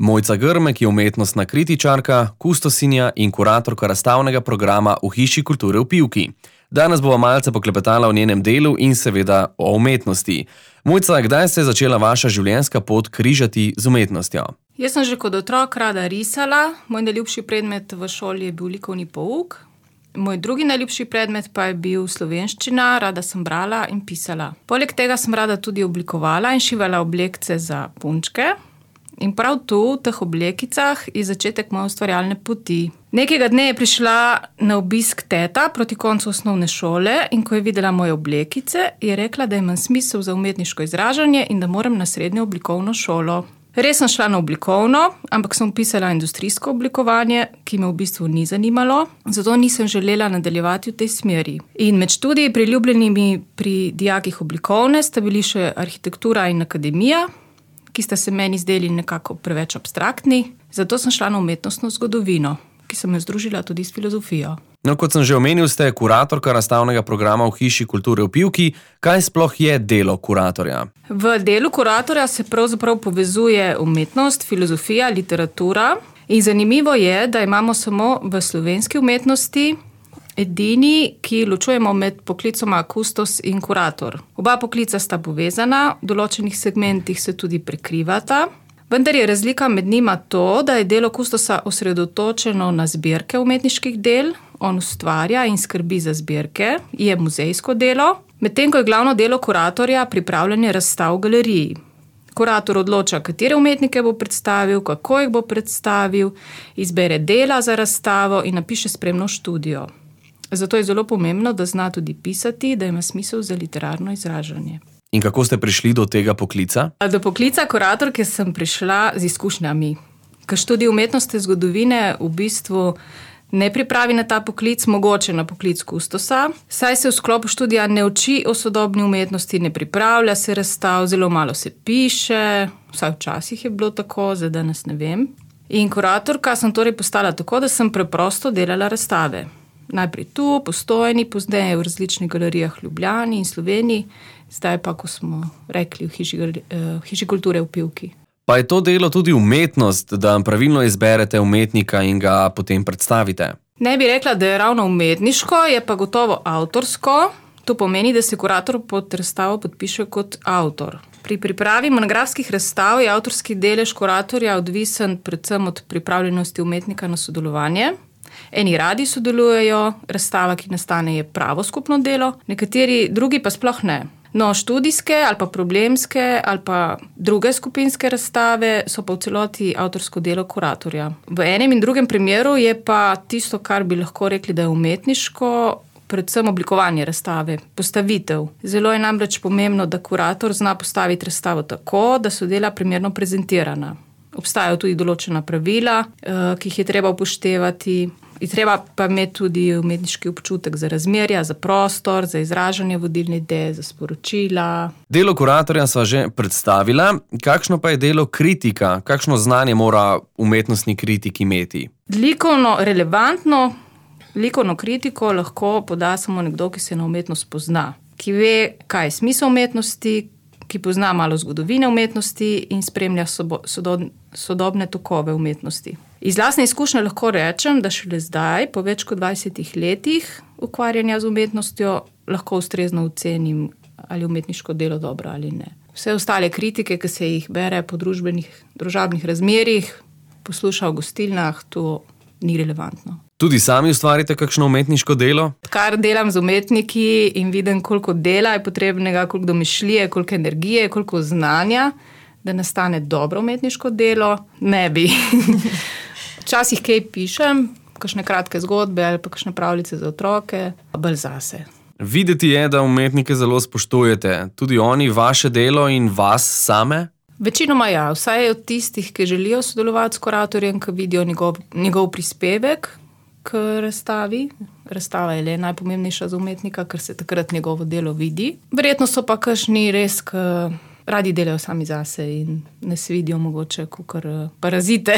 Mojca Grmek je umetnostna kritičarka, kustosinja in kuratorka razstavnega programa v Hiši kulture v Pivki. Danes bova malce poklepetala o njenem delu in seveda o umetnosti. Mojca, kdaj se je začela vaša življenjska pot križati z umetnostjo? Jaz sem že kot otrok rada risala, moj najljubši predmet v šoli je bil likovni pouk. Moj drugi najljubši predmet pa je bil slovenščina, rada sem brala in pisala. Poleg tega sem rada tudi oblikovala in šivala oblekce za punčke. In prav tu, v teh oblekicah, je začetek moje ustvarjalne poti. Nekega dne je prišla na obisk teta proti koncu osnovne šole in ko je videla moje oblekice, je rekla, da imam smisel za umetniško izražanje in da moram na srednjo oblikovno šolo. Res sem šla na oblikovno, ampak sem vpisala industrijsko oblikovanje, ki me v bistvu ni zanimalo, zato nisem želela nadaljevati v tej smeri. In med študiji priljubljenimi pri dijakih oblikovne sta bili še arhitektura in akademija, ki sta se meni zdeli nekako preveč abstraktni, zato sem šla na umetnostno zgodovino, ki sem jo združila tudi s filozofijo. No, kot sem že omenil, ste kuratorka razstavnega programa v Hiši kulture v Pivki. Kaj sploh je delo kuratorja? V delu kuratorja se pravzaprav povezuje umetnost, filozofija, literatura. In zanimivo je, da imamo samo v slovenski umetnosti edini, ki ločujemo med poklicoma kustos in kurator. Oba poklica sta povezana, v določenih segmentih se tudi prekrivata. Vendar je razlika med njima to, da je delo kustosa osredotočeno na zbirke umetniških del, on ustvarja in skrbi za zbirke, je muzejsko delo, medtem ko je glavno delo kuratorja pripravljanje razstav v galeriji. Kurator odloča, katere umetnike bo predstavil, kako jih bo predstavil, izbere dela za razstavo in napiše spremno študijo. Zato je zelo pomembno, da zna tudi pisati, da ima smisel za literarno izražanje. In kako ste prišli do tega poklica? Do poklica kuratorke sem prišla z izkušnjami. Ker študij umetnostne zgodovine v bistvu ne pripravi na ta poklic, mogoče na poklic kustosa, saj se v sklopu študija ne uči o sodobni umetnosti, ne pripravlja se razstav, zelo malo se piše, vsaj včasih je bilo tako, zdaj danes ne vem. In kuratorka sem torej postala tako, da sem preprosto delala razstave. Najprej tu, Postojni, pozneje v različnih galerijah v Ljubljani in Sloveniji, zdaj pa, ko smo rekli, v Hiši kulture v Pivki. Pa je to delo tudi umetnost, da pravilno izberete umetnika in ga potem predstavite? Ne bi rekla, da je ravno umetniško, je pa gotovo avtorsko. To pomeni, da se kurator pod razstavo podpiše kot avtor. Pri pripravi monografskih razstav je avtorski delež kuratorja odvisen predvsem od pripravljenosti umetnika na sodelovanje. Eni radi sodelujejo, razstava, ki nastane, je pravo skupno delo, nekateri drugi pa sploh ne. No, študijske ali pa problemske ali pa druge skupinske razstave so pa v celoti avtorsko delo kuratorja. V enem in drugem primeru je pa tisto, kar bi lahko rekli, da je umetniško, predvsem oblikovanje razstave, postavitev. Zelo je namreč pomembno, da kurator zna postaviti razstavo tako, da so dela primerno prezentirana. Obstajajo tudi določena pravila, ki jih je treba upoštevati. Je treba pa imeti tudi umetniški občutek za razmerja, za prostor, za izražanje vodilne ideje, za sporočila. Delo kuratorja sva že predstavila. Kakšno pa je delo kritika? Kakšno znanje mora umetnostni kritik imeti? Relevantno likovno kritiko lahko poda samo nekdo, ki se na umetnost pozna, ki ve, kaj je smisel umetnosti, ki pozna malo zgodovine umetnosti in spremlja sodobne tokove umetnosti. Iz lastne izkušnje lahko rečem, da šele zdaj, po več kot 20 letih ukvarjanja z umetnostjo, lahko ustrezno ocenim, ali je umetniško delo dobro ali ne. Vse ostale kritike, ki se jih bere po družabnih razmerjih, posluša v gostilnah, to ni relevantno. Tudi sami ustvarite kakšno umetniško delo? Kar delam z umetniki in vidim, koliko dela je potrebnega, koliko domišljije, koliko energije, koliko znanja, da nastane dobro umetniško delo, ne bi. Včasih kaj pišem, kakšne kratke zgodbe ali pa kakšne pravljice za otroke, bolj zase. Videti je, da umetnike zelo spoštujete. Tudi oni vaše delo in vas same? Večinoma ja, vsaj od tistih, ki želijo sodelovati s kuratorjem, ki vidijo njegov prispevek k razstavi. Razstava je le najpomembnejša za umetnika, ker se takrat njegovo delo vidi. Verjetno so pa kakšni res, ki radi delajo sami zase in ne se vidijo mogoče kakor parazite.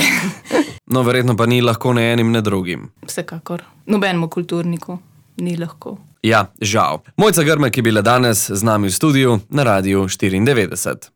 No, verjetno pa ni lahko ne enim, ne drugim. Vsekakor. Nobenemu kulturniku ni lahko. Ja, žal. Mojca Grmek je bila danes z nami v studiu na Radiu 94.